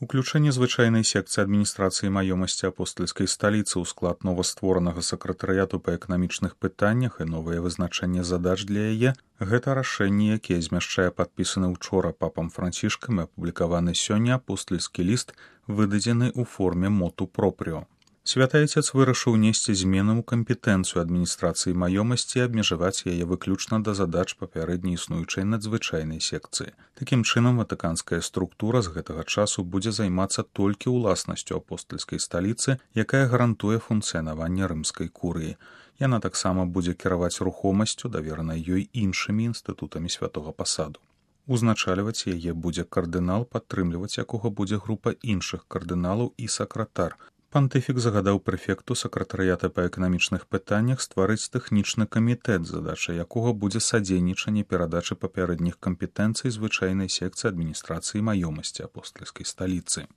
Уключэнне звычайнай секцыі адміністрацыі маёмасці апостальскай сталіцы ў склад новастворанага сакратарыяту па эканамічных пытаннях і новае вызначэнне задач для яе – гэта рашэнне, якое змяшчае падпісаны ўчора папам Францішкам і апублікаваны сёння апостальскі ліст, выдадзены ў форме моту пропрыо. Святы Айцец вырашыў несці змены ў кампетэнцыю адміністрацыі маёмасці і абмежаваць яе выключна да задач папярэдне існуючай надзвычайнай секцыі. Такім чынам, ватыканская структура з гэтага часу будзе займацца толькі ўласнасцю апостальскай сталіцы, якая гарантуе функцыянаванне рымскай курыі. Яна таксама будзе кіраваць рухомасцю, даверанай ёй іншымі інстытутамі святога пасаду. Узначальваць яе будзе кардынал, падтрымліваць якога будзе група іншых кардыналаў і сакратар. Пантыфік загадаў прэфекту сакратарыята па эканамічных пытаннях стварыць тэхнічны камітэт, задача якога будзе садзейнічанне перадачы папярэдніх кампетэнцый звычайнай секцыі адміністрацыі маёмасці апостальскай сталіцы.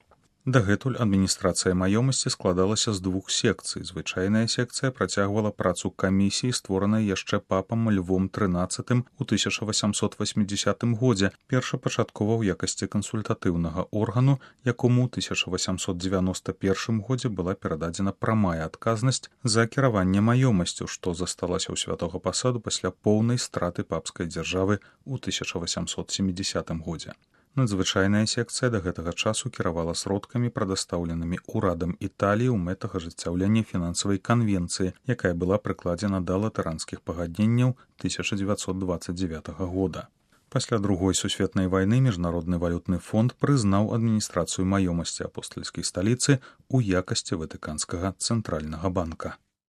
Дагэтуль адміністрацыя маёмасці складалася з двух секцый. Звычайная секцыя працягвала працу камісіі, створанай яшчэ папам Львом XIII у 1880 годзе, першапачаткова ў якасці кансультатыўнага органу, якому ў 1891 годзе была перададзена прамая адказнасць за кіраванне маёмасцю, што засталася ў святога пасаду пасля поўнай страты папскай дзяржавы ў 1870 годзе. Надзвычайная секцыя да гэтага часу кіравала сродкамі, прадастаўленымі ўрадам Італіі ў мэтах ажыццяўлення фінансавай канвенцыі, якая была прыкладзена да латаранскіх пагадненняў 1929 года. Пасля Другой сусветнай вайны Міжнародны валютны фонд прызнаў адміністрацыю маёмасці апостальскай сталіцы ў якасці ватыканскага цэнтральнага банка.